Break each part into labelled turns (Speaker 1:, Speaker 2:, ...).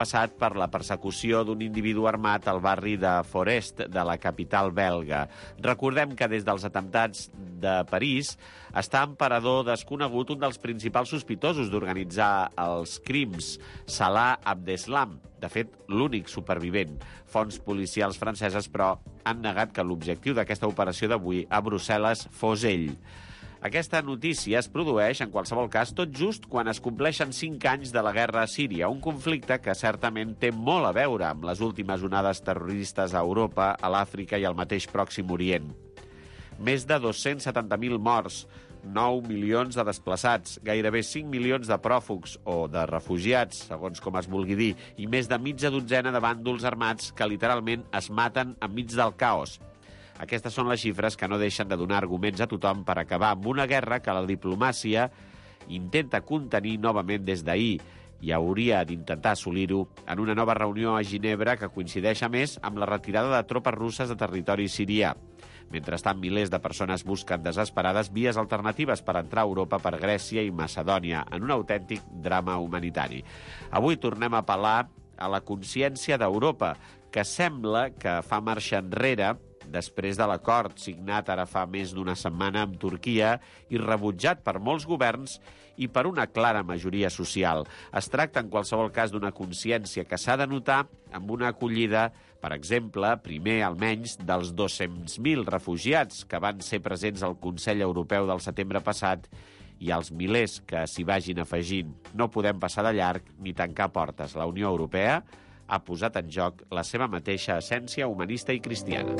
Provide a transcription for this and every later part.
Speaker 1: passat per la persecució d'un individu armat al barri de Forest, de la capital belga. Recordem que des dels atemptats de París està en parador desconegut un dels principals sospitosos d'organitzar els crims, Salah Abdeslam, de fet, l'únic supervivent. Fonts policials franceses, però, han negat que l'objectiu d'aquesta operació d'avui a Brussel·les fos ell. Aquesta notícia es produeix, en qualsevol cas, tot just quan es compleixen 5 anys de la guerra a Síria, un conflicte que certament té molt a veure amb les últimes onades terroristes a Europa, a l'Àfrica i al mateix Pròxim Orient. Més de 270.000 morts, 9 milions de desplaçats, gairebé 5 milions de pròfugs o de refugiats, segons com es vulgui dir, i més de mitja dotzena de bàndols armats que literalment es maten enmig del caos. Aquestes són les xifres que no deixen de donar arguments a tothom per acabar amb una guerra que la diplomàcia intenta contenir novament des d'ahir i hauria d'intentar assolir-ho en una nova reunió a Ginebra que coincideix, a més, amb la retirada de tropes russes de territori sirià. Mentrestant, milers de persones busquen desesperades vies alternatives per entrar a Europa per Grècia i Macedònia en un autèntic drama humanitari. Avui tornem a apel·lar a la consciència d'Europa, que sembla que fa marxa enrere després de l'acord signat ara fa més d'una setmana amb Turquia i rebutjat per molts governs i per una clara majoria social. Es tracta, en qualsevol cas, d'una consciència que s'ha de notar amb una acollida, per exemple, primer almenys, dels 200.000 refugiats que van ser presents al Consell Europeu del setembre passat i als milers que s'hi vagin afegint. No podem passar de llarg ni tancar portes. La Unió Europea ha posat en joc la seva mateixa essència humanista i cristiana.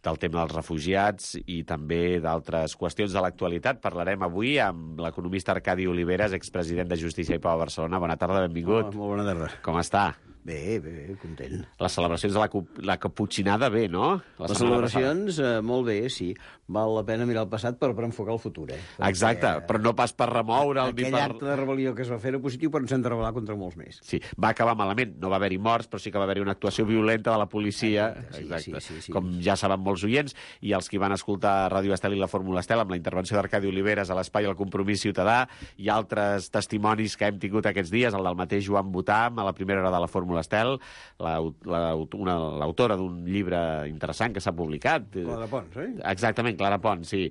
Speaker 1: Del tema dels refugiats i també d'altres qüestions de l'actualitat parlarem avui amb l'economista Arcadi Oliveres, expresident de Justícia i Pau a Barcelona. Bona tarda, benvingut.
Speaker 2: Molt bona tarda.
Speaker 1: Com està?
Speaker 2: Bé, content.
Speaker 1: Les celebracions de la caputxinada, bé, no?
Speaker 2: Les celebracions, molt bé, sí. Val la pena mirar el passat per enfocar el futur,
Speaker 1: Exacte, però no pas per remoure'l ni per...
Speaker 2: Aquell acte de rebel·lió que es va fer era positiu, però ens hem de rebel·lar contra molts més.
Speaker 1: Sí, va acabar malament. No va haver-hi morts, però sí que va haver-hi una actuació violenta de la policia.
Speaker 2: Exacte. Sí.
Speaker 1: Com ja saben molts oients, i els que van escoltar Ràdio Estel i la Fórmula Estel amb la intervenció d'Arcadi Oliveres a l'espai El Compromís Ciutadà i altres testimonis que hem tingut aquests dies, el del mateix Joan Botam a la primera hora de la Fórmula Estel, l'autora d'un llibre interessant que s'ha publicat.
Speaker 2: Clara Pons,
Speaker 1: Exactament, Clara Pons, sí.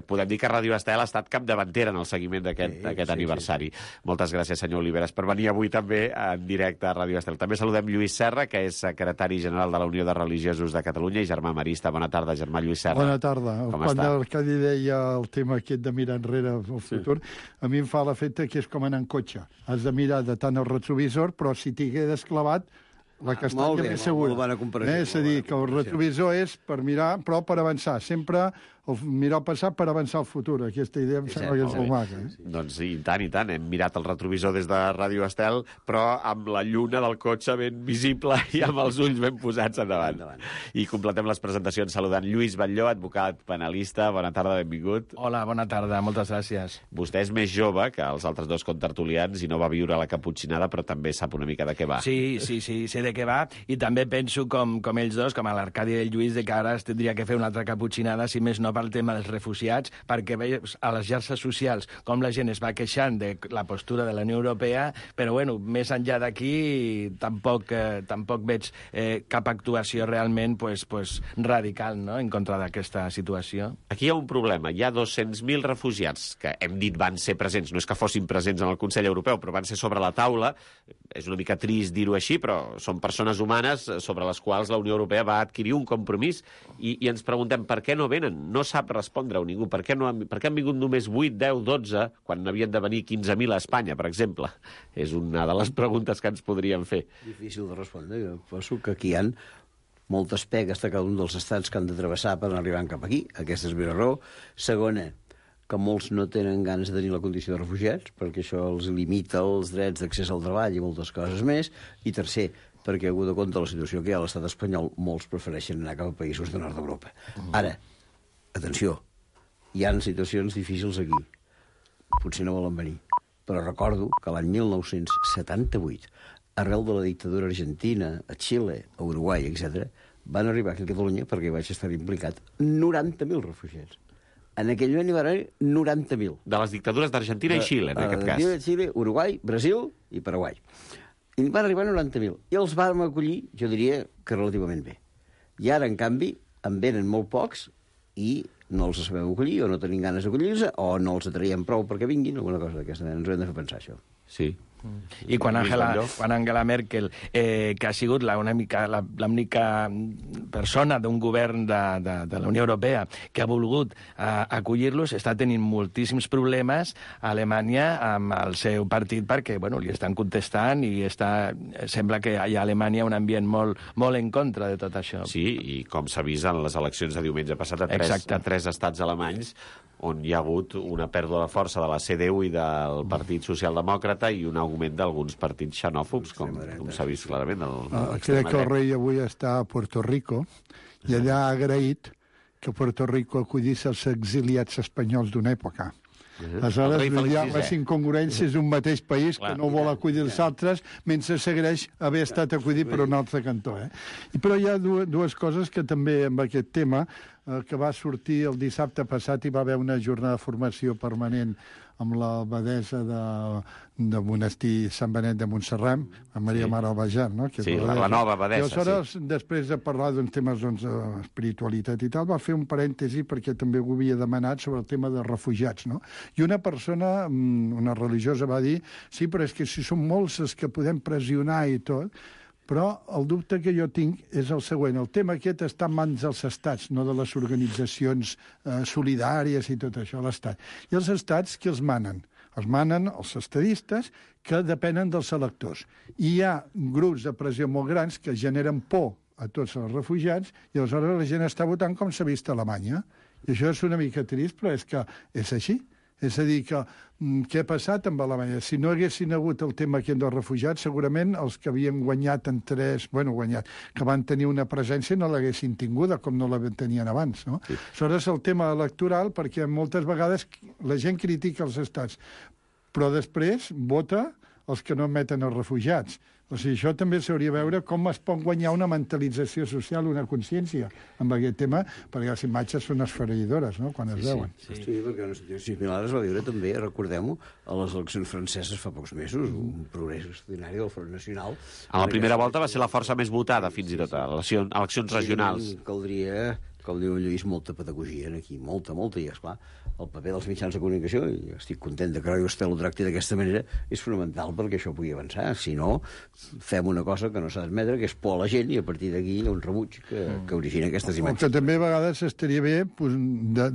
Speaker 1: Podem dir que Ràdio Estel ha estat capdavantera en el seguiment d'aquest aniversari. Moltes gràcies, senyor Oliveres, per venir avui també en directe a Ràdio Estel. També saludem Lluís Serra, que és secretari general de la Unió de Religiosos de Catalunya i germà marista. Bona tarda, germà Lluís Serra.
Speaker 3: Bona tarda.
Speaker 1: Com
Speaker 3: Quan
Speaker 1: està?
Speaker 3: l'Arcadi deia el tema aquest de mirar enrere al futur, a mi em fa l'efecte que és com anar en cotxe. Has de mirar de tant el retrovisor, però si t'hi quedes clavat, la castanya més segura. És a dir, que el retrovisor és per mirar, però per avançar. Sempre mirar el passat per avançar el futur. Aquesta idea em sembla que és molt maca.
Speaker 1: Doncs i tant. Hem mirat el retrovisor des de Ràdio Estel, però amb la lluna del cotxe ben visible i amb els ulls ben posats endavant. I completem les presentacions saludant Lluís Batlló, advocat penalista. Bona tarda, benvingut.
Speaker 4: Hola, bona tarda, moltes gràcies.
Speaker 1: Vostè és més jove que els altres dos contertulians i no va viure la caputxinada, però també sap una mica de què va.
Speaker 4: Sí, sé de què va, i també penso, com ells dos, com a l'Arcadi i el Lluís, que ara es tindria que fer una altra caputxinada, si més no pel tema dels refugiats, perquè veus a les xarxes socials com la gent es va queixant de la postura de la Unió Europea, però bueno, més enllà d'aquí tampoc veig cap actuació realment radical, no?, en contra d'aquesta situació.
Speaker 1: Aquí hi ha un problema. Hi ha 200.000 refugiats que hem dit van ser presents, no és que fossin presents en el Consell Europeu, però van ser sobre la taula. És una mica trist dir-ho així, però són persones humanes sobre les quals la Unió Europea va adquirir un compromís i ens preguntem per què no venen. No sap respondre-ho ningú. Per què han vingut només 8, 10, 12, quan n'havien de venir 15.000 a Espanya, per exemple? És una de les preguntes que ens podríem fer.
Speaker 2: Difícil de respondre. Jo penso que aquí hi ha moltes pegues de cada un dels estats que han de travessar per arribar cap aquí. Aquesta és la primera raó. Segona, que molts no tenen ganes de tenir la condició de refugiats, perquè això els limita els drets d'accés al treball i moltes coses més. I tercer, perquè, hagut de compte la situació que hi ha a l'estat espanyol, molts prefereixen anar cap a països de nord d'Europa. Ara, atenció, hi ha situacions difícils aquí. Potser no volen venir. Però recordo que l'any 1978, arrel de la dictadura argentina, a Xile, a Uruguai, etc., van arribar aquí a Catalunya, perquè vaig estar implicat, 90.000 refugiats. En aquell moment hi va haver 90.000.
Speaker 1: De les dictadures d'Argentina i Xile, en aquest cas.
Speaker 2: Argentina, Xile, Uruguai, Brasil i Paraguai. I van arribar a 90.000. I els vam acollir, jo diria, que relativament bé. I ara, en canvi, en venen molt pocs i no els sabem acollir, o no tenim ganes d'acollir-se, o no els atraiem prou perquè vinguin, alguna cosa d'aquesta manera. Ens ho hem de fer pensar, això.
Speaker 1: Sí.
Speaker 4: I quan Angela Merkel, que ha sigut l'única persona d'un govern de la Unió Europea que ha volgut acollir-los, està tenint moltíssims problemes a Alemanya amb el seu partit perquè li estan contestant i sembla que hi ha a Alemanya un ambient molt en contra de tot això.
Speaker 1: Sí, i com s'ha vist en les eleccions de diumenge passat a tres estats alemanys, on hi ha hagut una pèrdua de força de la CDU i del Partit Socialdemòcrata i un augment d'alguns partits xenòfobs, com s'ha vist clarament.
Speaker 3: Crec que el rei avui està a Puerto Rico i allà ha agraït que Puerto Rico acollís els exiliats espanyols d'una època. Aleshores, hi ha les incongruències d'un mateix país que no vol acollir els altres mentre segueix haver estat acollit per un altre cantó. Però hi ha dues coses que també amb aquest tema que va sortir el dissabte passat i va haver una jornada de formació permanent amb l'abadessa de Monestir Sant Benet de Montserrat, amb Maria Mare Albajar, no?
Speaker 1: Sí, la nova abadessa.
Speaker 3: I aleshores, després de parlar d'uns temes d'espiritualitat i tal, va fer un parèntesi perquè també ho havia demanat sobre el tema de refugiats, no? I una persona, una religiosa, va dir sí, però és que si són molts els que podem pressionar i tot, però el dubte que jo tinc és el següent. El tema aquest està en mans dels estats, no de les organitzacions solidàries i tot això, l'Estat. I els estats qui els manen? Els manen els estadistes que depenen dels electors. I hi ha grups de pressió molt grans que generen por a tots els refugiats i aleshores la gent està votant com s'ha vist a Alemanya. I això és una mica trist, però és que és així. És a dir, que què ha passat amb Alemanya? Si no haguessin hagut el tema aquest dels refugiats, segurament els que havien guanyat que van tenir una presència no l'haguessin tinguda, com no la tenien abans, no? Sí. Aleshores, el tema electoral, perquè moltes vegades la gent critica els estats, però després vota els que no admeten els refugiats. O sigui, això també s'hauria de veure com es pot guanyar una mentalització social, una consciència amb aquest tema, perquè les imatges són esfereïdores, no?, quan es veuen.
Speaker 2: Sí, perquè una situació similar es va viure també, recordem-ho, a les eleccions franceses fa pocs mesos, un progrés extraordinari del Front Nacional.
Speaker 1: A la primera volta va ser la força més votada, fins i tot, a eleccions regionals.
Speaker 2: Caldria, com diu en Lluís, molta pedagogia aquí, molta, i esclar, el paper dels mitjans de comunicació, i estic content que Radio Estel ho tracti d'aquesta manera, és fonamental perquè això pugui avançar. Si no, fem una cosa que no s'ha d'admetre, que és por a la gent, i a partir d'aquí hi ha un rebuig que origina aquestes imatges.
Speaker 3: Que també a vegades estaria bé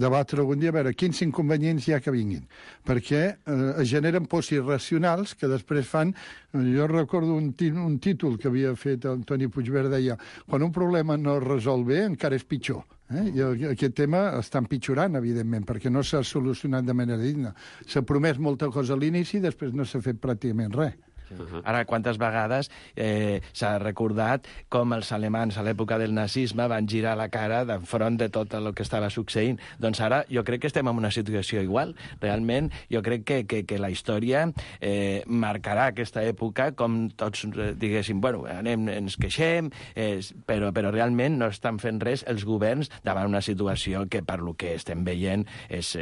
Speaker 3: debatre algun dia a veure quins inconvenients hi ha que vinguin, perquè es generen pors irracionals que després fan... Jo recordo un títol que havia fet el Toni Puigverd, deia quan un problema no es resol bé encara és pitjor. I aquest tema està empitjorant, evidentment, perquè no s'ha solucionat de manera digna. S'ha promès molta cosa a l'inici i després no s'ha fet pràcticament res.
Speaker 4: Ara, quantes vegades s'ha recordat com els alemans a l'època del nazisme van girar la cara davant de tot el que estava succeint. Doncs ara jo crec que estem en una situació igual. Realment, jo crec que la història marcarà aquesta època com tots diguéssim, bueno, ens queixem, però realment no estan fent res els governs davant una situació que, per lo que estem veient, és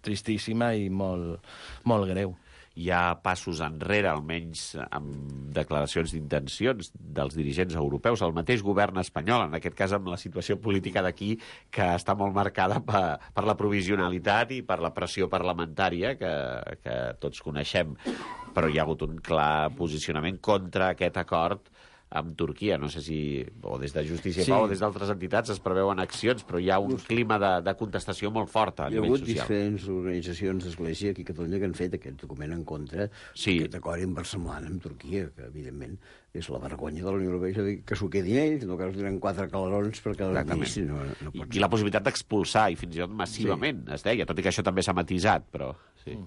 Speaker 4: tristíssima i molt greu.
Speaker 1: Hi ha passos enrere, almenys amb declaracions d'intencions dels dirigents europeus. El mateix govern espanyol, en aquest cas amb la situació política d'aquí, que està molt marcada per la provisionalitat i per la pressió parlamentària que tots coneixem. Però hi ha hagut un clar posicionament contra aquest acord amb Turquia. No sé si, o des de Justícia i Pau o des d'altres entitats es preveuen accions, però hi ha un clima de contestació molt fort a nivell social.
Speaker 2: Hi ha hagut diferents organitzacions d'Església aquí a Catalunya que han fet aquest document en contra d'aquest acord inversemblant amb Turquia, que evidentment és la vergonya de la Unió Europea, és a dir, que s'ho quedin ells, no que es donen 4 calarons per cada ministre. No pot ser.
Speaker 1: I la possibilitat d'expulsar, i fins i tot massivament, es deia, tot i que això també s'ha matisat, però... Sí.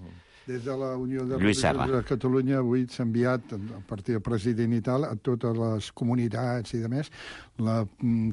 Speaker 3: Des de la Unió de Religiosos de Catalunya avui s'ha enviat, a partir del president i tal, a totes les comunitats i demés,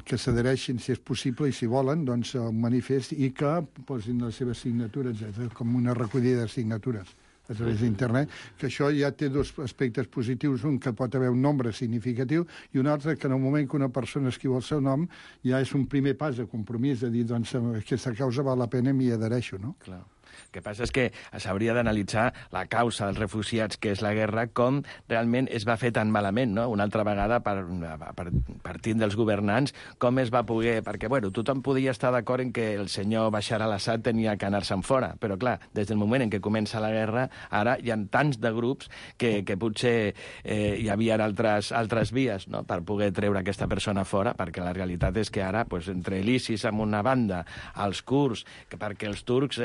Speaker 3: que s'adhereixin, si és possible, i si volen, doncs un manifest i que posin les seves signatures, com una recollida de signatures. a través d'internet, que això ja té dos aspectes positius, un que pot haver un nombre significatiu i un altre que en el moment que una persona escriu el seu nom ja és un primer pas de compromís, de dir, doncs, aquesta causa val la pena i m'hi adhereixo, no?
Speaker 4: Clar. El que passa és que s'hauria d'analitzar la causa dels refugiats, que és la guerra, com realment es va fer tan malament, no? Una altra vegada, partint dels governants, com es va poder... Perquè, bueno, tothom podia estar d'acord en que el senyor Bashar al-Assad tenia que anar-se'n fora, però, clar, des del moment en què comença la guerra, ara hi ha tants de grups que potser hi havia altres vies, no?, per poder treure aquesta persona fora, perquè la realitat és que ara, pues, entre l'ISIS amb una banda, els kurds, perquè els turcs,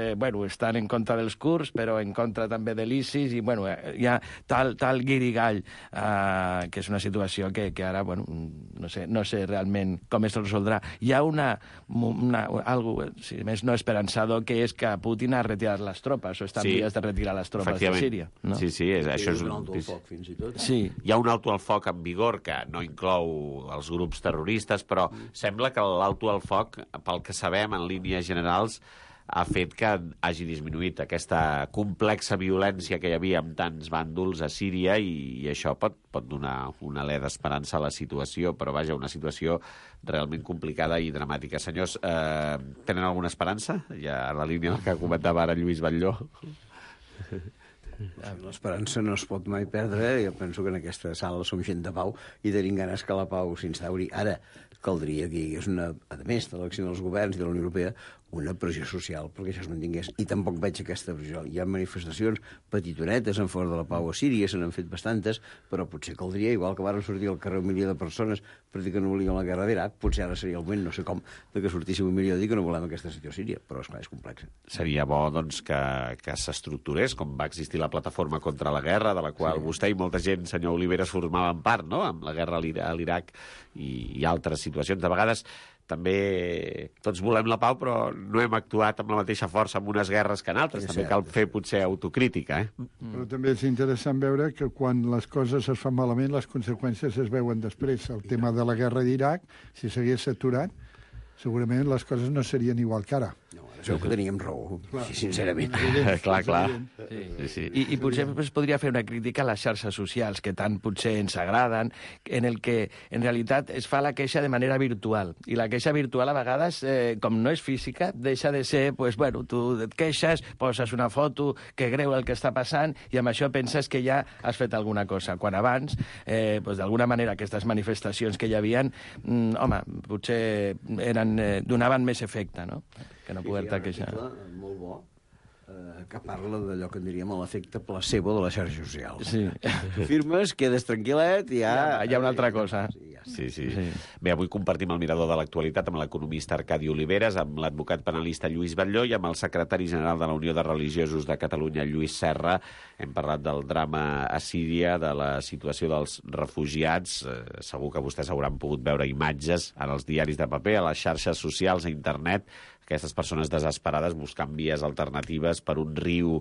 Speaker 4: estan en contra dels kurds, però en contra també de l'ISIS, i hi ha tal guirigall, que és una situació que ara, no sé realment com es resoldrà. Hi ha algo, si més no esperançador, que és que Putin ha retirat les tropes, o està en vies de retirar les tropes de Síria. No?
Speaker 1: Sí, això és
Speaker 2: un alto al foc, fins i tot.
Speaker 1: Sí. Hi ha un alto al foc en vigor que no inclou els grups terroristes, però sembla que l'alto al foc, pel que sabem, en línies generals, ha fet que hagi disminuït aquesta complexa violència que hi havia amb tants bàndols a Síria i això pot donar un alè d'esperança a la situació, però vaja, una situació realment complicada i dramàtica. Senyors, tenen alguna esperança? Ja a la línia del que comentava ara Lluís Batlló.
Speaker 2: L'esperança no es pot mai perdre. Jo penso que en aquesta sala som gent de pau i tenim ganes que la pau s'instauri. Ara, caldria que hi hagués a més de l'acció dels governs i de la Unió Europea, una pressió social perquè això es mantingués, i tampoc veig aquesta pressió. Hi ha manifestacions petitonetes en favor de la pau a Síria, se n'han fet bastantes, però potser caldria, igual que varen sortir al carrer 1 milió de persones per dir que no volien la guerra d'Iraq, potser ara seria el moment, no sé com, de que sortíssim 1 milió a dir que no volem aquesta situació a Síria, però esclar, és complex.
Speaker 1: Seria bo, doncs, que s'estructurés, com va existir la plataforma contra la guerra, de la qual vostè i molta gent, senyor Oliveres, formaven part, no?, amb la guerra a l'Iraq i altres situacions. De vegades també tots volem la pau, però no hem actuat amb la mateixa força en unes guerres que en altres. També cal fer potser autocrítica.
Speaker 3: Però també és interessant veure que quan les coses es fan malament, les conseqüències es veuen després. El tema de la guerra d'Iraq, si s'hagués aturat, segurament les coses no serien igual que ara.
Speaker 2: No, ara segur que teníem raó, sincerament.
Speaker 1: Clar.
Speaker 4: Sí. I potser es podria fer una crítica a les xarxes socials, que tant potser ens agraden, en el que en realitat es fa la queixa de manera virtual. I la queixa virtual a vegades, com no és física, deixa de ser, tu et queixes, poses una foto, que greu el que està passant, i amb això penses que ja has fet alguna cosa. Quan abans, d'alguna manera, aquestes manifestacions que hi havia, potser donaven més efecte, no?, que no poder-te queixar.
Speaker 2: Molt bo, que parla d'allò que en diríem l'efecte placebo de les xarxes socials.
Speaker 4: Sí.
Speaker 2: Firmes, quedes tranquil·let i ja...
Speaker 4: Hi ha una altra cosa.
Speaker 1: Sí. Bé, avui compartim el mirador de l'actualitat amb l'economista Arcadi Oliveres, amb l'advocat penalista Lluís Batlló i amb el secretari general de la Unió de Religiosos de Catalunya, Lluís Serra. Hem parlat del drama a Síria, de la situació dels refugiats. Segur que vostès hauran pogut veure imatges en els diaris de paper, a les xarxes socials, a internet, aquestes persones desesperades buscant vies alternatives per un riu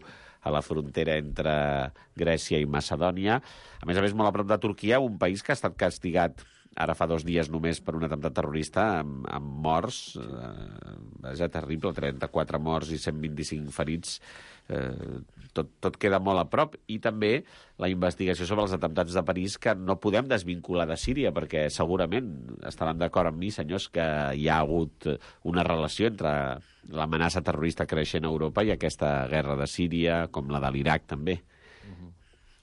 Speaker 1: a la frontera entre Grècia i Macedònia. A més, molt a prop de Turquia, un país que ha estat castigat ara fa 2 dies només per un atemptat terrorista amb morts. Vaja, terrible, 34 morts i 125 ferits. Tot queda molt a prop. I també la investigació sobre els atemptats de París, que no podem desvincular de Síria, perquè segurament estaran d'acord amb mi, senyors, que hi ha hagut una relació entre l'amenaça terrorista creixent a Europa i aquesta guerra de Síria, com la de l'Iraq també.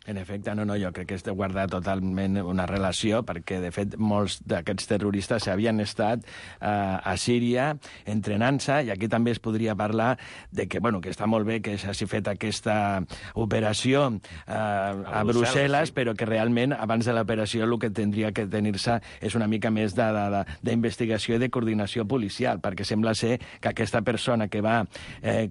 Speaker 4: En efecte, jo crec que és de guardar totalment una relació, perquè, de fet, molts d'aquests terroristes havien estat a Síria entrenant-se, i aquí també es podria parlar de que està molt bé que s'hagi fet aquesta operació a Brussel·les, sí, però que realment, abans de l'operació, el que tindria que tenir-se és una mica més d'investigació i de coordinació policial, perquè sembla ser que aquesta persona que va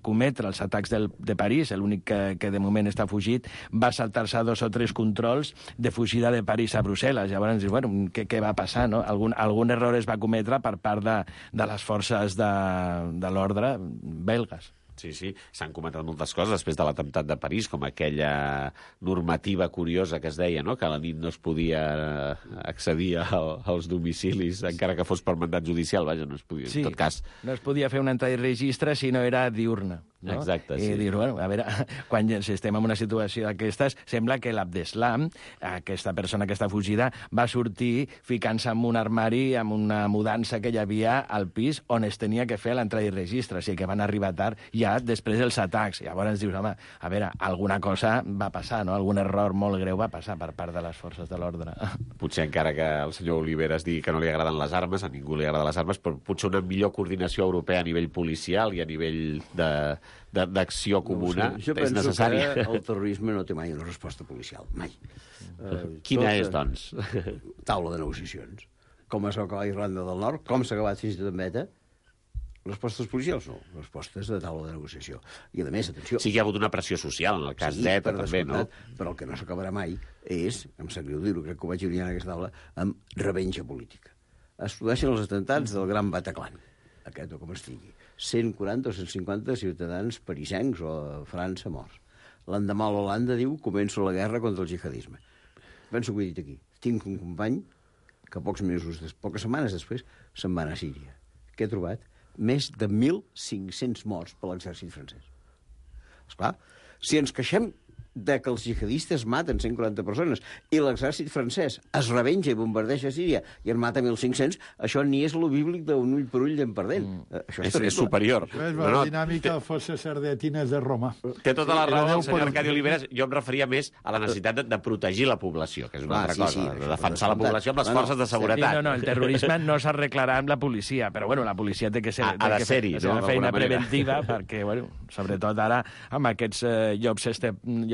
Speaker 4: cometre els atacs de París, l'únic que de moment està fugit, va saltar-se 2 o 3 controls de fugida de París a Brussel·les. Llavors, què va passar, no? Algun error es va cometre per part de les forces de l'ordre belgues.
Speaker 1: Sí, s'han comentat moltes coses després de l'atemptat de París, com aquella normativa curiosa que es deia, no?, que a la nit no es podia accedir als domicilis, encara que fos per mandat judicial, vaja, no es podia, en tot cas.
Speaker 4: No es podia fer una entrada i registre si no era diurna. no?
Speaker 1: Exacte, sí.
Speaker 4: I dir, bueno, a veure, quan estem en una situació d'aquestes, sembla que l'Abdeslam, aquesta persona que està fugida, va sortir ficant-se en un armari amb una mudança que hi havia al pis on es tenia que fer l'entrada i registre, o sigui que van arribar tard ja després dels atacs. Llavors dius, home, a veure, alguna cosa va passar, no? Algun error molt greu va passar per part de les forces de l'ordre.
Speaker 1: Potser encara que el senyor Oliveres digui que no li agraden les armes, a ningú li agraden les armes, però potser una millor coordinació europea a nivell policial i a nivell d'acció comuna és necessària.
Speaker 2: Jo penso que el terrorisme no té mai una resposta policial, mai.
Speaker 1: Quina és, doncs?
Speaker 2: Taula de negociacions. Com es va acabar Irlanda del Nord, com s'ha acabat fins i tot en Beta, respostes policials no, respostes de taula de negociació. I a més, atenció...
Speaker 1: Sí que hi ha hagut una pressió social en el cas d'ETA, també, no?
Speaker 2: Però el que no s'acabarà mai és, em sap greu dir-ho, crec que ho vaig dir en aquesta taula, amb revenja política. Es produeixen els atemptats del Gran Bataclan, aquest o com es digui. 140 o 150 ciutadans parisencs o a França morts. L'endemà l'Holanda diu començo la guerra contra el jihadisme. Penso que ho he dit aquí. Tinc un company que poques setmanes després se'n va anar a Síria. Què he trobat? Més de 1.500 morts per l'exèrcit francès. Esclar, si ens queixem de que els jihadistes maten 140 persones i l'exèrcit francès es revenja i bombardeja Síria i en mata 1.500, això ni és lo bíblic d'un ull per ull en perdent. Això
Speaker 1: és superior.
Speaker 3: Això és la dinàmica de fosses sardetines de Roma.
Speaker 1: Té tota la raó el senyor Arcadi Oliveres. Jo em referia més a la necessitat de protegir la població, que és una altra cosa, de defensar la població amb les forces de seguretat.
Speaker 4: Sí, el terrorisme no s'arreglarà amb la policia, però bueno, la policia té que ser...
Speaker 1: Ha de ser-hi, no?
Speaker 4: Una feina preventiva, perquè, bueno, sobretot ara, amb aquests llocs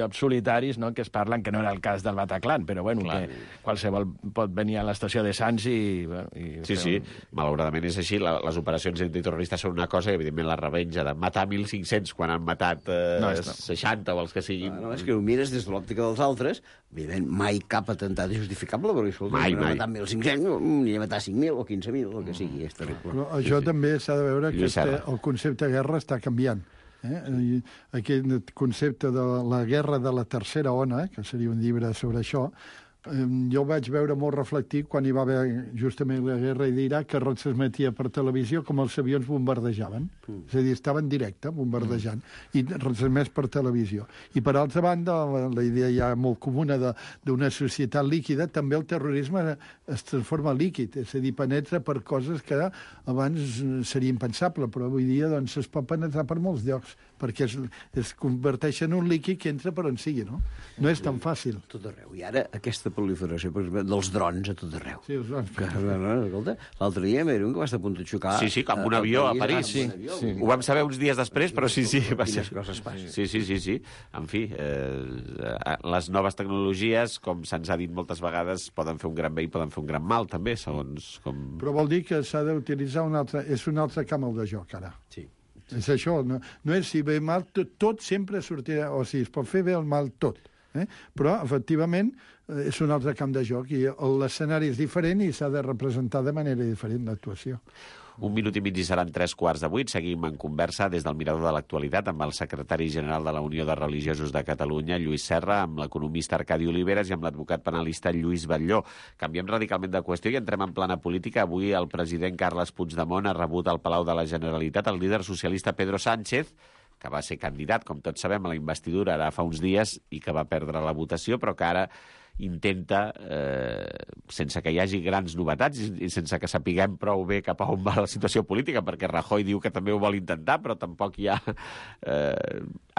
Speaker 4: solitaris, no?, que es parlen, que no era el cas del Bataclan, però bueno, clar, que qualsevol pot venir a l'estació de Sants i... Bueno,
Speaker 1: sí, malauradament és així. Les operacions antiterroristes són una cosa i, evidentment, la revenja de matar 1.500 quan han matat 60 o els que siguin...
Speaker 2: No, és que ho mires des de l'òptica dels altres, evidentment, mai cap atemptat és justificable, perquè escolta,
Speaker 1: mai.
Speaker 2: Matar 1.500, ni a matar 5.000 o 15.000, el que sigui, és terrible.
Speaker 3: Però això també s'ha de veure que el concepte de guerra està canviant. Aquest concepte de la guerra de la tercera ona, que seria un llibre sobre això, jo vaig veure molt reflectit quan hi va haver justament la guerra d'Iraq, que es transmetia per televisió com els avions bombardejaven. És a dir, estaven en directe bombardejant i transmès per televisió. I per altra banda, la idea ja molt comuna d'una societat líquida, també el terrorisme es transforma líquid, és a dir, penetra per coses que abans seria impensable, però avui dia doncs, es pot penetrar per molts llocs, perquè es converteix en un líquid que entra per on sigui, no? No és tan fàcil.
Speaker 2: Tot arreu. I ara aquesta proliferació, per exemple, dels drons a tot arreu.
Speaker 3: Sí, els drons.
Speaker 2: Escolta, l'altre dia m'era un que va estar a punt de xocar...
Speaker 1: Sí, com un avió a París. Sí. Ho vam saber uns dies després, però sí.
Speaker 2: Quines coses passen.
Speaker 1: Sí. En fi, les noves tecnologies, com se'ns ha dit moltes vegades, poden fer un gran bé i poden fer un gran mal, també, segons com...
Speaker 3: Però vol dir que s'ha d'utilitzar un altre camp de joc, ara.
Speaker 2: Sí.
Speaker 3: És això, no és si bé mal, tot sempre sortirà, o sigui, es pot fer bé o mal tot. Però, efectivament, és un altre camp de joc i l'escenari és diferent i s'ha de representar de manera diferent l'actuació.
Speaker 1: 1 minut i mig i seran 7:45. Seguim en conversa des del Mirador de l'Actualitat amb el secretari general de la Unió de Religiosos de Catalunya, Lluís Serra, amb l'economista Arcadi Oliveres i amb l'advocat penalista Lluís Batlló. Canviem radicalment de qüestió i entrem en plana política. Avui el president Carles Puigdemont ha rebut al Palau de la Generalitat el líder socialista Pedro Sánchez, que va ser candidat, com tots sabem, a la investidura ara fa uns dies i que va perdre la votació, però que ara intenta, sense que hi hagi grans novetats i sense que sapiguem prou bé cap a on va la situació política, perquè Rajoy diu que també ho vol intentar, però tampoc hi ha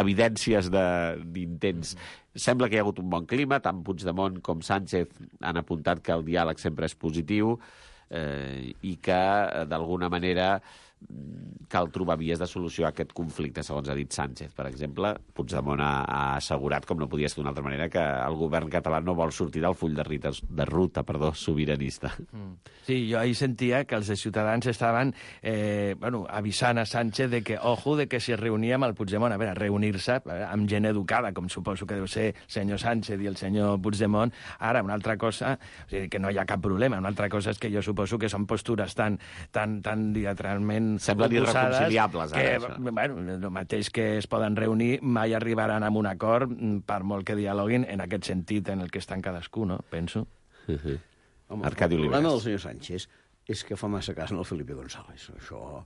Speaker 1: evidències d'intents. Sembla que hi ha hagut un bon clima, tant Puigdemont com Sánchez han apuntat que el diàleg sempre és positiu i que, d'alguna manera, cal trobar vies de solució a aquest conflicte, segons ha dit Sánchez. Per exemple, Puigdemont ha assegurat, com no podia ser d'una altra manera, que el govern català no vol sortir del full de ruta sobiranista.
Speaker 4: Sí, jo ahir sentia que els de Ciutadans estaven avisant a Sánchez de que, ojo, de que si es reunia amb el Puigdemont, a veure, reunir-se amb gent educada, com suposo que deu ser el senyor Sánchez i el senyor Puigdemont. Ara, una altra cosa, o sigui, que no hi ha cap problema, una altra cosa és que jo suposo que són postures tan diametralment
Speaker 1: semblen irreconciliables,
Speaker 4: ara. El mateix que es poden reunir, mai arribaran a un acord, per molt que dialoguin, en aquest sentit en el que estan cadascú, no? Penso.
Speaker 2: Home, Arcadi Oliveres. El problema del senyor Sánchez és que fa massa cas al Felipe González. Això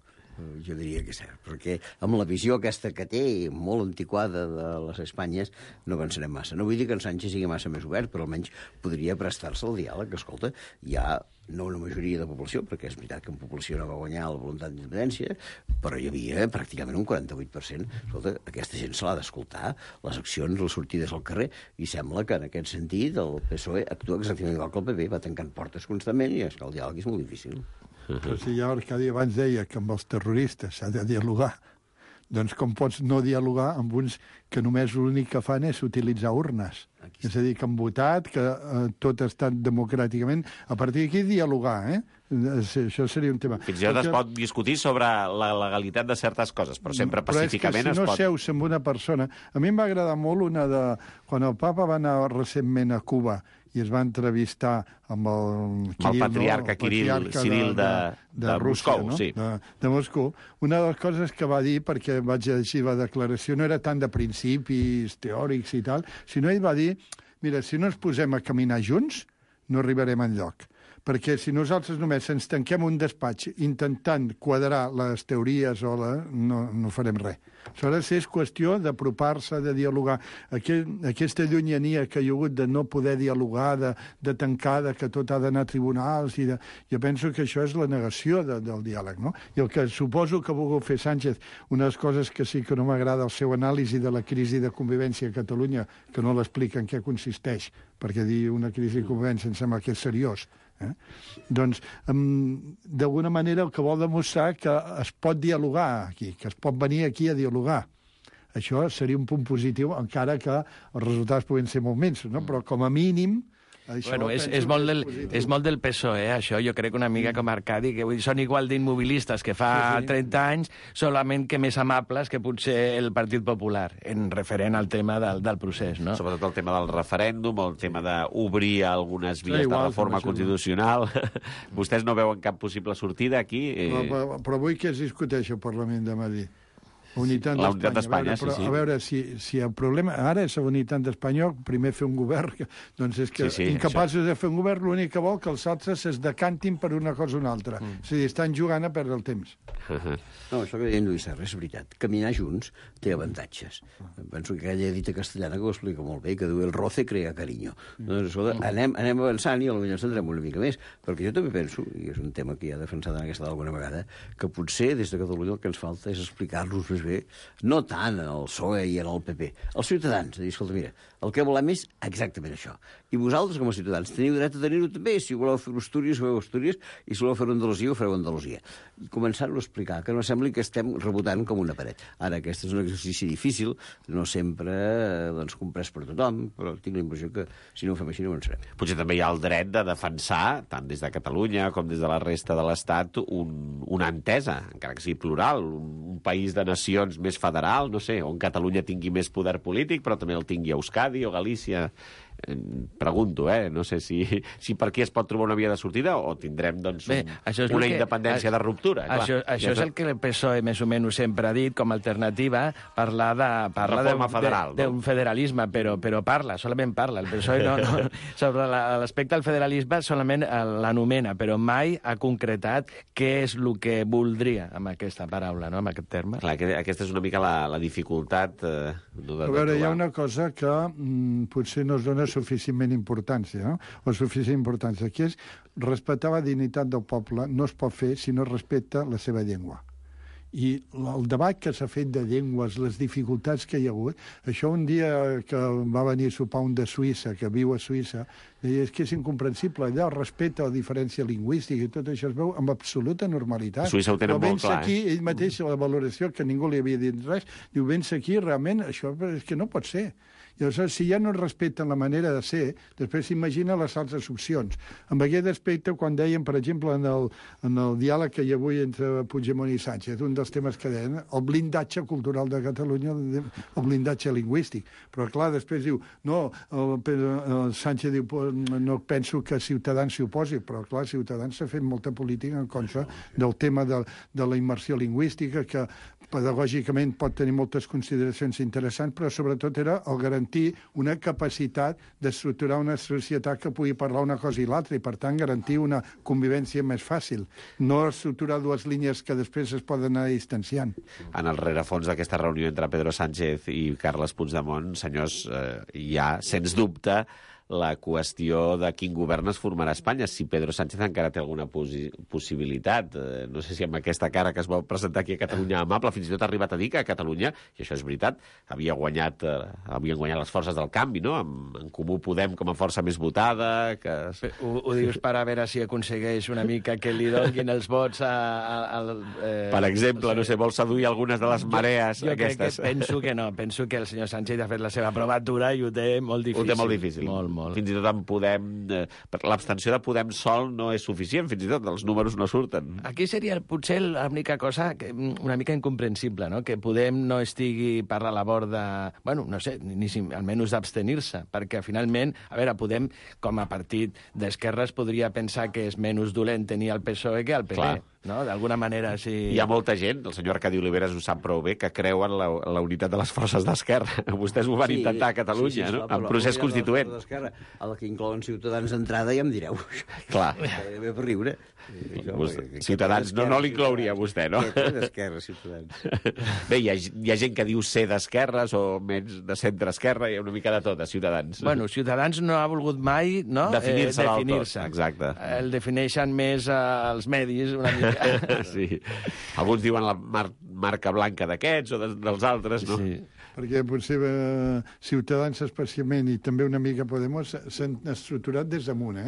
Speaker 2: Jo diria que és cert, perquè amb la visió aquesta que té, molt antiquada de les Espanyes, no avançarem massa. No vull dir que en Sánchez sigui massa més obert, però almenys podria prestar-se al diàleg. Escolta, hi ha no una majoria de població, perquè és veritat que en població no va guanyar la voluntat d'independència, però hi havia pràcticament un 48%. Escolta, aquesta gent se l'ha d'escoltar, les accions, les sortides al carrer, i sembla que en aquest sentit el PSOE actua exactament igual que el PP, va tancant portes constantment, i és que el diàleg és molt difícil.
Speaker 3: Però si ja Arcadi abans deia que amb els terroristes s'ha de dialogar, doncs com pots no dialogar amb uns que només l'únic que fan és utilitzar urnes? És a dir, que han votat, que tot ha estat democràticament. A partir d'aquí, dialogar, Això seria un tema.
Speaker 1: Fins i tot es pot discutir sobre la legalitat de certes coses, però sempre pacíficament es pot...
Speaker 3: Però és que si no seus amb una persona... A mi em va agradar molt una de... Quan el papa va anar recentment a Cuba i es va entrevistar amb el
Speaker 1: patriarca Ciril de
Speaker 3: Rússia,
Speaker 1: Moscou, sí.
Speaker 3: De Moscou. Una de les coses que va dir, perquè vaig llegir la declaració, no era tant de principis teòrics i tal, sinó ell va dir, mira, si no ens posem a caminar junts, no arribarem enlloc. Perquè si nosaltres només ens tanquem un despatx intentant quadrar les teories no farem res. Aleshores és qüestió d'apropar-se, de dialogar. Aquesta llunyania que hi ha hagut de no poder dialogar, de tancar, que tot ha d'anar a tribunals, jo penso que això és la negació del diàleg, no? I el que suposo que ha volgut fer Sánchez, una de les coses que sí que no m'agrada el seu anàlisi de la crisi de convivència a Catalunya, que no l'explica en què consisteix, perquè dir una crisi de convivència em sembla que és seriós, doncs, d'alguna manera el que vol demostrar que es pot dialogar aquí, que es pot venir aquí a dialogar. Això seria un punt positiu, encara que els resultats poden ser molt menys, no? Però com a mínim...
Speaker 4: Bueno, és molt del PSOE, això. Jo crec que una mica com Arcadi, que són igual d'immobilistes que fa 30 anys, solament que més amables que potser el Partit Popular, en referent al tema del procés, no?
Speaker 1: Sobretot el tema del referèndum, el tema d'obrir algunes vies de reforma constitucional. Vostès no veuen cap possible sortida aquí?
Speaker 3: Però avui què es discuteix al Parlament de Madrid? La unitat
Speaker 1: d'Espanya, sí.
Speaker 3: A veure, si el problema ara és la unitat d'Espanya, primer fer un govern, doncs és que incapaços de fer un govern, l'únic que vol que els altres es decantin per una cosa o una altra. És a dir, estan jugant a perdre el temps.
Speaker 2: No, això que deia en Lluís Serra és veritat. Caminar junts té avantatges. Penso que aquella dita castellana que ho explica molt bé, que diu el roce crea cariño. Doncs, escolta, anem avançant i potser ens centrem una mica més, perquè jo també penso, i és un tema que ja he defensat en aquesta alguna vegada, que potser des de Catalunya el que ens falta és explicar-nos més bé, no tant en el PSOE i en el PP, els ciutadans, de dir, escolta, mira, el que volem és exactament això. I vosaltres, com a ciutadans, teniu dret a tenir-ho també. Si voleu fer Astúries, ho feu Astúries, i si voleu fer Andalusia, ho fareu Andalusia. I començar-ho a explicar, que no sembli que estem rebotant com una paret. Ara, aquest és un exercici difícil, no sempre comprès per tothom, però tinc la impressió que si no ho fem així no avançarem.
Speaker 1: Potser també hi ha el dret de defensar, tant des de Catalunya com des de la resta de l'Estat, una entesa, encara que sigui plural, un país de nacions més federal, no sé, on Catalunya tingui més poder polític, però també el tingui Euskadi o Galícia. Pregunto, no sé si per aquí es pot trobar una via de sortida o tindrem doncs, una independència de ruptura.
Speaker 4: Això és el que el PSOE més o menys sempre ha dit com a alternativa, parlar d'un federalisme, però solament parla. El PSOE sobre l'aspecte del federalisme solament l'anomena, però mai ha concretat què és el que voldria amb aquesta paraula, no? Amb aquest terme.
Speaker 1: Clar, aquesta és una mica la dificultat de
Speaker 3: trobar. A veure, hi ha una cosa que potser no es dona suficientment importància, no? O suficient importància, que és respectar la dignitat del poble no es pot fer si no es respecta la seva llengua. I el debat que s'ha fet de llengües, les dificultats que hi ha hagut, això un dia que va venir a sopar un de Suïssa, que viu a Suïssa, deia, és que és incomprensible, allà el respecte a la diferència lingüística i tot això es veu amb absoluta normalitat.
Speaker 1: Suïssa ho tenen molt clar.
Speaker 3: Aquí, ell mateix, la valoració, que ningú li havia dit res, diu, vens aquí, realment, això és que no pot ser. I aleshores, si ja no respecten la manera de ser, després s'imagina les altres opcions. Amb aquest aspecte, quan deien, per exemple, en el diàleg que hi ha avui entre Puigdemont i Sánchez, un dels temes que deien, el blindatge cultural de Catalunya, el blindatge lingüístic. Però, clar, després diu, no, Sánchez diu, no penso que Ciutadans s'hi oposi, però, clar, Ciutadans s'ha fet molta política en contra del tema de la immersió lingüística, que pedagògicament pot tenir moltes consideracions interessants, però sobretot era el garantir garantir una capacitat d'estructurar una societat que pugui parlar una cosa i l'altra, i per tant garantir una convivència més fàcil. No estructurar dues línies que després es poden anar distanciant.
Speaker 1: En el rerefons d'aquesta reunió entre Pedro Sánchez i Carles Puigdemont, senyors, hi ha, sens dubte, la qüestió de quin govern es formarà a Espanya, si Pedro Sánchez encara té alguna possibilitat. No sé si amb aquesta cara que es va presentar aquí a Catalunya amable, fins i tot ha arribat a dir que a Catalunya, i això és veritat, havien guanyat les forces del canvi, no? En Comú Podem com a força més votada... Que...
Speaker 4: Ho dius per a veure si aconsegueix una mica que li donin els vots
Speaker 1: Per exemple, no sé, vol seduir algunes de les marees aquestes.
Speaker 4: Jo penso que no, penso que el senyor Sánchez ha fet la seva provatura i ho té molt difícil.
Speaker 1: Ho té molt difícil.
Speaker 4: Molt.
Speaker 1: Fins i tot en Podem... L'abstenció de Podem sol no és suficient, fins i tot els números no surten.
Speaker 4: Aquí seria potser l'única cosa una mica incomprensible, no? Que Podem no estigui per la labor de... Bueno, no sé, almenys d'abstenir-se, perquè finalment, a veure, Podem, com a partit d'esquerres, podria pensar que és menys dolent tenir el PSOE que el PP. Clar. No? D'alguna manera, sí...
Speaker 1: Hi ha molta gent, el senyor Arcadi Oliveres ho sap prou bé, que creu en la unitat de les forces d'esquerra. Vostès ho van intentar a Catalunya, no? En procés constituent.
Speaker 2: A la que inclouen Ciutadans d'entrada ja em direu.
Speaker 1: Clar.
Speaker 2: Ve per riure.
Speaker 1: Ciutadans no l'inclouria vostè, no?
Speaker 2: D'esquerra, Ciutadans.
Speaker 1: Bé, hi ha gent que diu ser d'esquerres o menys de centre-esquerra, hi ha una mica de tot, a Ciutadans.
Speaker 4: Bueno, Ciutadans no ha volgut mai, no?
Speaker 1: Definir-se del tot. Exacte.
Speaker 4: El defineixen més els medis, una mica.
Speaker 1: Sí. Alguns diuen la marca blanca d'aquests o dels altres, no? Sí.
Speaker 3: Perquè potser Ciutadans especialment i també una mica Podemos s'han estructurat des damunt,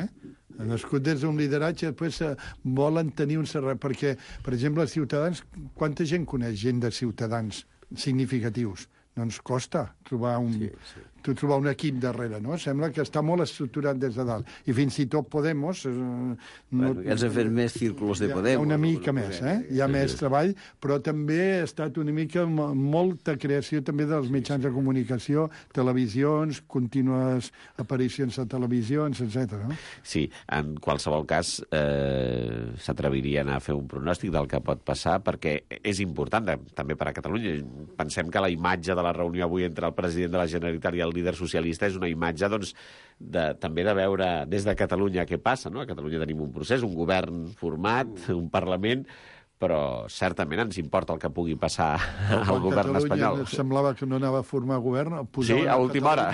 Speaker 3: Han nascut des d'un lideratge, després volen tenir un serrat, perquè, per exemple, els Ciutadans, quanta gent coneix gent de Ciutadans significatius? No ens costa trobar trobar un equip darrere, no? Sembla que està molt estructurat des de dalt. I fins i tot Podemos...
Speaker 2: Ells han fet més círculos de Podemos.
Speaker 3: Hi ha una mica més, Hi ha més treball, però també ha estat una mica molta creació també dels mitjans de comunicació, televisions, contínues aparicions a televisions, etc. No?
Speaker 1: Sí, en qualsevol cas s'atrevirien a fer un pronòstic del que pot passar, perquè és important també per a Catalunya. Pensem que la imatge de la reunió avui entre el president de la Generalitat i el líder socialista és una imatge, doncs, també de veure des de Catalunya què passa, no? A Catalunya tenim un procés, un govern format, un Parlament, però certament ens importa el que pugui passar al govern espanyol.
Speaker 3: Semblava que no anava a formar govern.
Speaker 1: Sí, a última hora.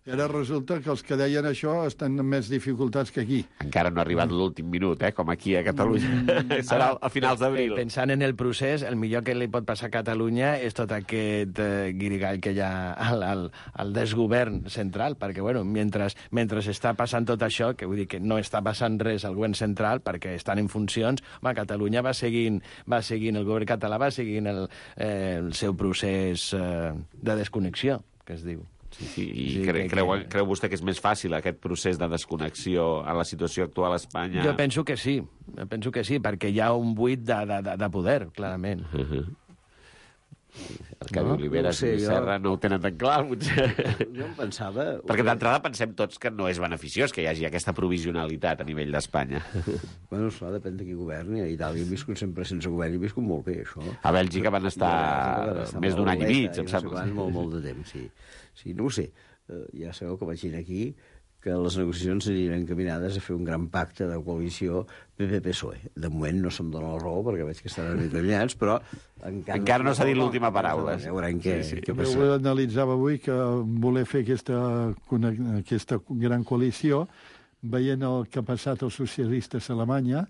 Speaker 3: I ara resulta que els que deien això estan amb més dificultats que aquí.
Speaker 1: Encara no ha arribat l'últim minut, com aquí a Catalunya. Serà a finals d'abril.
Speaker 4: Pensant en el procés, el millor que li pot passar a Catalunya és tot aquest guirigall que hi ha al desgovern central, perquè, bueno, mentre està passant tot això, que vull dir que no està passant res al govern central, perquè estan en funcions, Catalunya va seguint, el govern català va seguint el seu procés de desconnexió, que es diu.
Speaker 1: Sí, i creu vostè que és més fàcil aquest procés de desconnexió a la situació actual a Espanya?
Speaker 4: Jo penso que sí, perquè hi ha un buit de poder, clarament.
Speaker 1: Arcadi Oliveres i Serra no ho tenen tan clar, potser.
Speaker 2: Jo em pensava...
Speaker 1: Perquè d'entrada pensem tots que no és beneficiós que hi hagi aquesta provisionalitat a nivell d'Espanya.
Speaker 2: Bueno, esclar, depèn de qui governi. A Itàlia he viscut sempre sense govern i he viscut molt bé, això.
Speaker 1: A Bèlgica van estar més d'un any i mig, em sembla.
Speaker 2: Molt de temps, sí. Sí, no ho sé. Ja sabeu que vaig dir aquí que les negociacions aniran encaminades a fer un gran pacte de coalició PP-PSOE. De moment no se'm dona la raó, perquè veig que estan determinats, però...
Speaker 1: Encara no s'ha dit l'última paraula.
Speaker 2: Ja veurem què passa.
Speaker 3: Jo analitzava avui que voler fer aquesta gran coalició, veient el que ha passat als socialistes a Alemanya,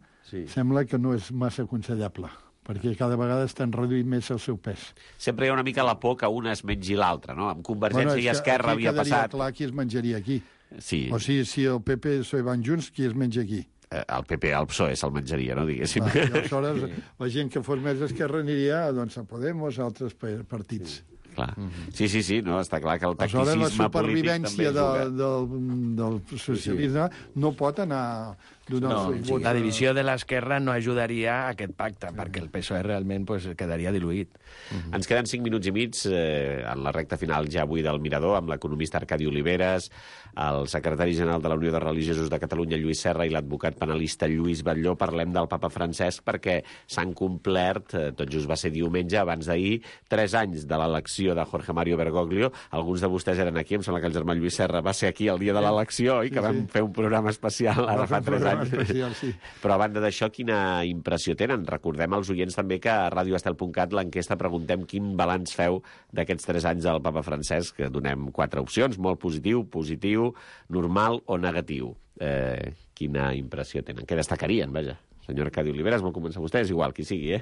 Speaker 3: sembla que no és massa aconsellable, perquè cada vegada estan reduint més el seu pes.
Speaker 1: Sempre hi ha una mica la por que una es mengi l'altra, no? Amb Convergència i Esquerra havia passat...
Speaker 3: Aquí quedaria clar qui es menjaria aquí.
Speaker 1: Sí.
Speaker 3: O sigui, si el PP i el PSOE van junts, qui es menja aquí?
Speaker 1: El PP, el PSOE se'l menjaria, no, diguéssim.
Speaker 3: I aleshores la gent que fos més d'esquerra aniria doncs, a Podemos, a altres partits.
Speaker 1: Clar. Sí, no, està clar que el tacticisme polític també juga.
Speaker 3: La supervivència del socialisme no pot anar donar els seus vots.
Speaker 4: La divisió de l'esquerra no ajudaria a aquest pacte, perquè el PSOE realment quedaria diluït.
Speaker 1: Ens queden 5 minuts i mig en la recta final ja avui del Mirador, amb l'economista Arcadi Oliveres, el secretari general de la Unió de Religiosos de Catalunya, Lluís Serra, i l'advocat penalista Lluís Batlló. Parlem del papa Francesc perquè s'han complert, tot just va ser diumenge, abans d'ahir, 3 anys de l'elecció de Jorge Mario Bergoglio. Alguns de vostès eren aquí, em sembla que el germà Lluís Serra va ser aquí el dia de l'elecció, i que vam fer un programa especial ara fa 3 anys.
Speaker 3: Especial, sí.
Speaker 1: Però a banda d'això, quina impressió tenen? Recordem als oients també que a radioestel.cat l'enquesta preguntem quin balanç feu d'aquests 3 anys del papa Francesc, que donem 4 opcions, molt positiu, normal o negatiu. Quina impressió tenen? Què destacarien, vaja? Senyor Arcadi Oliveres, vol començar vostè? És igual, qui sigui,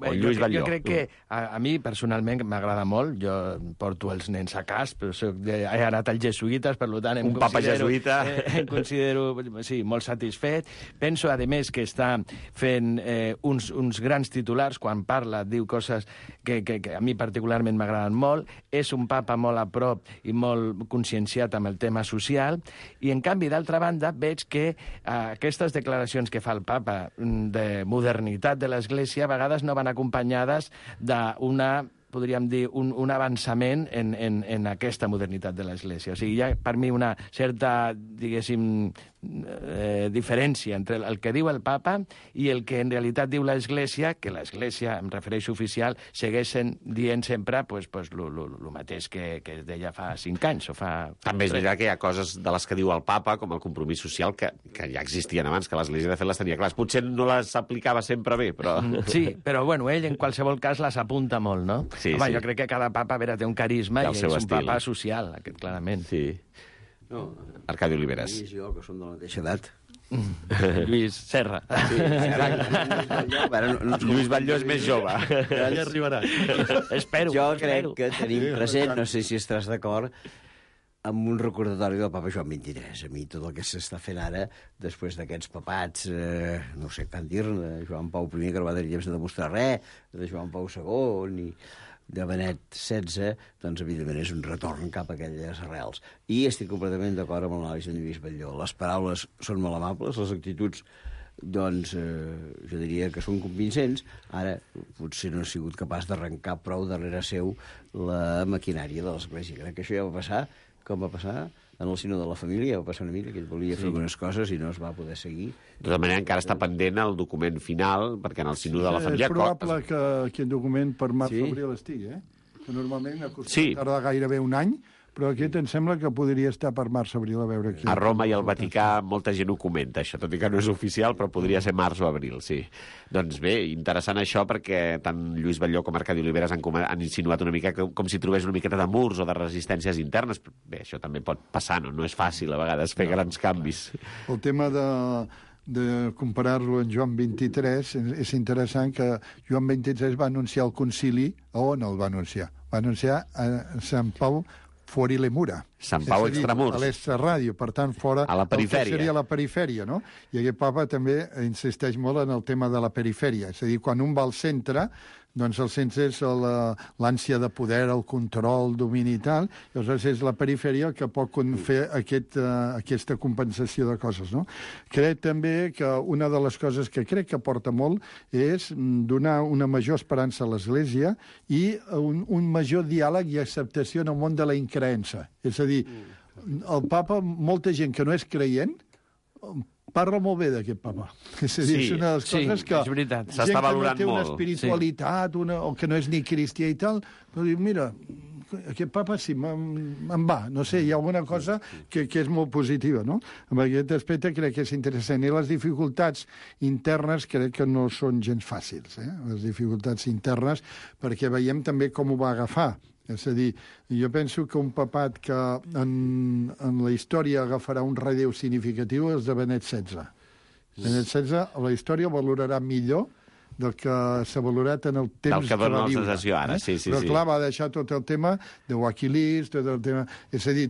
Speaker 1: O Lluís Batlló.
Speaker 4: Jo crec que a mi, personalment, m'agrada molt. Jo porto els nens a cas, però he anat als jesuïtes, per tant...
Speaker 1: Un papa jesuïta.
Speaker 4: Em considero, sí, molt satisfet. Penso, a més, que està fent uns grans titulars. Quan parla, diu coses que a mi particularment m'agraden molt. És un papa molt a prop i molt conscienciat amb el tema social. I, en canvi, d'altra banda, veig que aquestes declaracions que fa el papa de modernitat de l'Església a vegades no van acompanyades d'una, podríem dir, un avançament en aquesta modernitat de l'Església. O sigui, hi ha per mi una certa, diguéssim, diferència entre el que diu el papa i el que en realitat diu l'Església, que l'Església, em refereixo oficial, segueix dient sempre el mateix que es deia fa 5 anys o fa...
Speaker 1: També és veritat que hi ha coses de les que diu el papa, com el compromís social, que ja existien abans, que l'Església de fet les tenia clares. Potser no les aplicava sempre bé, però...
Speaker 4: Sí, però bueno, ell en qualsevol cas les apunta molt, no?
Speaker 1: Sí,
Speaker 4: home,
Speaker 1: sí.
Speaker 4: Jo crec que cada papa, a veure, té un carisma i és un papa social, aquest, clarament.
Speaker 1: Sí.
Speaker 2: No,
Speaker 1: Arcadi Oliveres.
Speaker 2: Lluís i jo, que som de la mateixa edat.
Speaker 4: Lluís Serra.
Speaker 2: Sí,
Speaker 1: Lluís Batlló és més jove.
Speaker 3: Ja hi arribarà.
Speaker 4: Espero.
Speaker 2: Jo crec que tenim present, no sé si estaràs d'acord, amb un recordatori del papa Joan XXIII. A mi tot el que s'està fent ara, després d'aquests papats, no sé tant dir-ne, de Joan Pau I, que no va tenir temps de demostrar res, de Joan Pau II, i de Benet XVI, doncs, evidentment, és un retorn cap a aquelles arrels. I estic completament d'acord amb l'anàlisi de Lluís Batlló. Les paraules són molt amables, les actituds, doncs, jo diria que són convincents. Ara, potser no he sigut capaç d'arrencar prou darrere seu la maquinària de l'Església. Crec que això ja va passar, com va passar en el sinó de la família, va passar una mica, que ell volia fer algunes coses i no es va poder seguir.
Speaker 1: De tota manera, encara està pendent el document final, perquè en el sinó de la família...
Speaker 3: És probable que aquest document per març-abril estigui, que normalment acostuma a tardar gairebé un any, però aquest em sembla que podria estar per març-abril, a veure aquí.
Speaker 1: A Roma i al Vaticà molta gent ho comenta, això, tot i que no és oficial, però podria ser març o abril, sí. Doncs bé, interessant això, perquè tant Lluís Batlló com Arcadi Oliveres han insinuat una mica com si trobés una miqueta de murs o de resistències internes. Bé, això també pot passar, no? No és fàcil a vegades fer grans canvis.
Speaker 3: El tema de comparar-lo amb Joan XXIII, és interessant que Joan XXIII va anunciar el concili. On el va anunciar? Va anunciar a Sant Pau fuori le mura.
Speaker 1: Sant Pau extramurs.
Speaker 3: A l'extraràdio, per tant, fora...
Speaker 1: A la perifèria.
Speaker 3: El que seria la perifèria, no? I aquest papa també insisteix molt en el tema de la perifèria. És a dir, quan un va al centre, doncs el centre és l'ànsia de poder, el control, el domini i tal, i aleshores és la perifèria el que pot fer aquesta compensació de coses, no? Crec també que una de les coses que crec que aporta molt és donar una major esperança a l'Església i un major diàleg i acceptació en el món de la increença. És a dir, el papa, molta gent que no és creient, parla molt bé d'aquest papa. És a dir, és una de les coses que...
Speaker 4: és veritat.
Speaker 1: S'està valorant
Speaker 3: gent que no té una
Speaker 1: molt.
Speaker 3: espiritualitat, o que no és ni cristià i tal, però diu, mira, aquest papa sí, em va. No sé, hi ha alguna cosa que és molt positiva, no? En aquest aspecte crec que és interessant. I les dificultats internes crec que no són gens fàcils, les dificultats internes, perquè veiem també com ho va agafar. És a dir, jo penso que un papat que en la història agafarà un relleu significatiu és de Benet XVI. Benet XVI, la història valorarà millor del que s'ha valorat en el temps
Speaker 1: del que dona la
Speaker 3: viure.
Speaker 1: sensació ara, sí.
Speaker 3: Però, clar, va deixar tot el tema de Wikileaks, tot el tema... És a dir,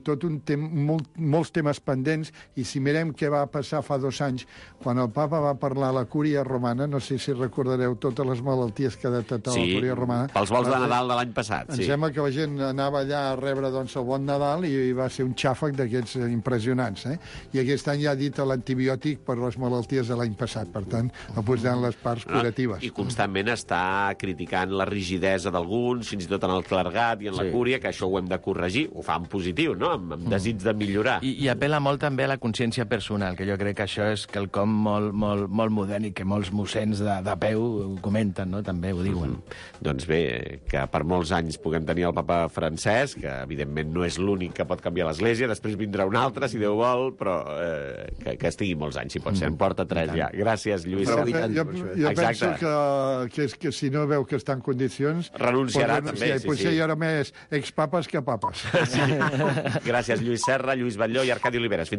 Speaker 3: molts temes pendents, i si mirem què va passar fa 2 anys, quan el papa va parlar a la Cúria Romana, no sé si recordareu totes les malalties que ha detectat la Cúria Romana.
Speaker 1: Pels vols de Nadal de l'any passat,
Speaker 3: Em sembla que la gent anava allà a rebre doncs, el bon Nadal i va ser un xàfec d'aquests impressionants. I aquest any ja ha dit l'antibiòtic per les malalties de l'any passat, per tant, apostant les parts curatives.
Speaker 1: I constantment està criticant la rigidesa d'alguns, fins i tot en el clergat i en la Cúria, que això ho hem de corregir, ho fa en positiu, no? Amb desig de millorar.
Speaker 4: I apel·la molt també a la consciència personal, que jo crec que això és quelcom molt modern i que molts mossens de peu ho comenten, no? També ho diuen.
Speaker 1: Doncs bé, que per molts anys puguem tenir el papa Francesc, que evidentment no és l'únic que pot canviar l'Església, després vindrà un altre, si Déu vol, però que estigui molts anys, si pot ser. En porta 3 ja. Gràcies, Lluís.
Speaker 3: Jo penso que si no veu que està en condicions...
Speaker 1: Renunciarà també, sí.
Speaker 3: Potser hi haurà més expapes que papes.
Speaker 1: Gràcies, Lluís Serra, Lluís Batlló i Arcadi Oliveres.